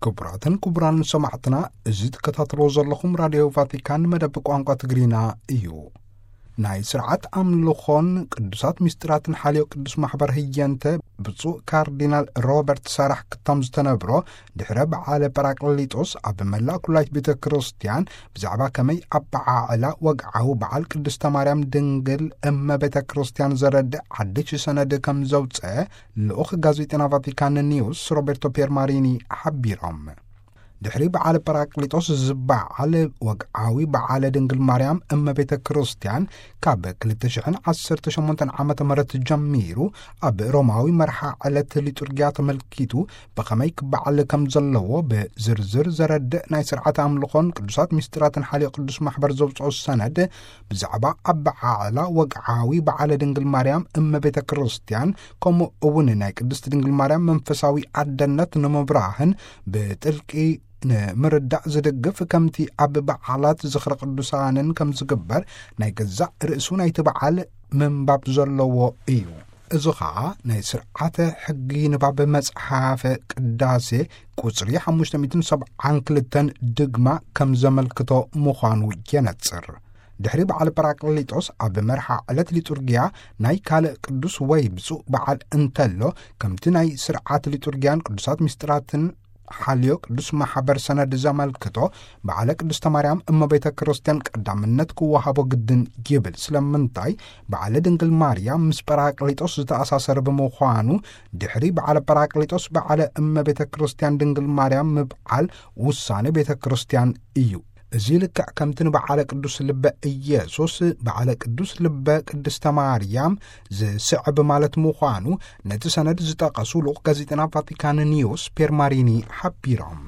ክቡራትን ክቡራን ሰማዕትና፣ እዚ ትከታተልዎ ዘለኹም ራድዮ ቫቲካን መደብ ቋንቋ ትግርኛ እዩ። ናይ ስርዓት ኣምልኾን ቅዱሳት ምስጢራትን ሓልዮ ቅዱስ ማሕበር ህየንተ ብፁዕ ካርዲናል ሮበርት ሳራሕ ክታም ዝተነብሮ፣ ድሕረ በዓለ ጳራቅሊጦስ ኣብ መላእ ኩላይት ቤተ ክርስቲያን ብዛዕባ ከመይ ኣበዓዕላ ወግዓዊ በዓል ቅድስተ ማርያም ድንግል እመ ቤተ ክርስቲያን ዘረድእ ሓድሽ ሰነድ ከም ዘውፀ ልኡኽ ጋዜጠና ቫቲካን ኒውስ ሮቤርቶ ፒየርማሪኒ ሓቢሮም። ድሕሪ በዓል ጳራቅሊጦስ ዝበዓል ወግዓዊ በዓለ ድንግል ማርያም እመ ቤተ ክርስቲያን ካብ ክልተ ሽሕን ዓሰርተ ሸሞንተን ዓመተ ምህረት ጀሚሩ ኣብ ሮማዊ መርሓ ዕለት ሊጡርጊያ ተመልኪቱ ብኸመይ ክበዓል ከም ዘለዎ ብዝርዝር ዘረድእ ናይ ስርዓት ኣምልኾን ቅዱሳት ምስጢራትን ሓልዮ ቅዱስ ማሕበር ዘውፅኦ ሰነድ ብዛዕባ ኣበዓዕላ ወግዓዊ በዓለ ድንግል ማርያም እመ ቤተ ክርስቲያን ከምኡ እውን ናይ ቅድስት ድንግል ማርያም መንፈሳዊ ኣደነት ንምብራህን ብጥልቂ ንምርዳእ ዝድግፍ ከምቲ ኣብ በዓላት ዝኽረ ቅዱሳንን ከም ዝግበር ናይ ገዛእ ርእሱ ናይቲ በዓል ምንባብ ዘለዎ እዩ። እዚ ኸኣ ናይ ስርዓተ ሕጊ ንባብ መጽሓፈ ቅዳሴ ቁጽሪ ሓሙሽተ ሚእትን ሰብዓን ክልተን ድግማ ከም ዘመልክቶ ምዃኑ የነጽር። ድሕሪ በዓል ጳራቅሊጦስ ኣብ መርሓ ዕለት ሊጡርጊያ ናይ ካልእ ቅዱስ ወይ ብፁዕ በዓል እንተሎ፣ ከምቲ ናይ ስርዓት ሊጡርጊያን ቅዱሳት ምስጢራትን ሓልዮ ቅዱስ ማሕበር ሰነድ ዘመልክቶ፣ በዓለ ቅድስተ ማርያም እመ ቤተ ክርስቲያን ቀዳምነት ክወሃቦ ግድን ይብል። ስለምንታይ? በዓለ ድንግል ማርያም ምስ ጳራቅሊጦስ ዝተኣሳሰረ ብምዃኑ፣ ድሕሪ በዓለ ጳራቅሊጦስ በዓለ እመ ቤተ ክርስቲያን ድንግል ማርያም ምብዓል ውሳኔ ቤተ ክርስቲያን እዩ። እዚ ልክዕ ከምቲ ንበዓለ ቅዱስ ልበ ኢየሱስ፣ በዓለ ቅዱስ ልበ ቅድስተ ማርያም ዝስዕብ ማለት ምዃኑ ነቲ ሰነድ ዝጠቐሱ ልኡኽ ጋዜጠና ቫቲካን ኒውስ ፔርማሪኒ ሓቢሮም።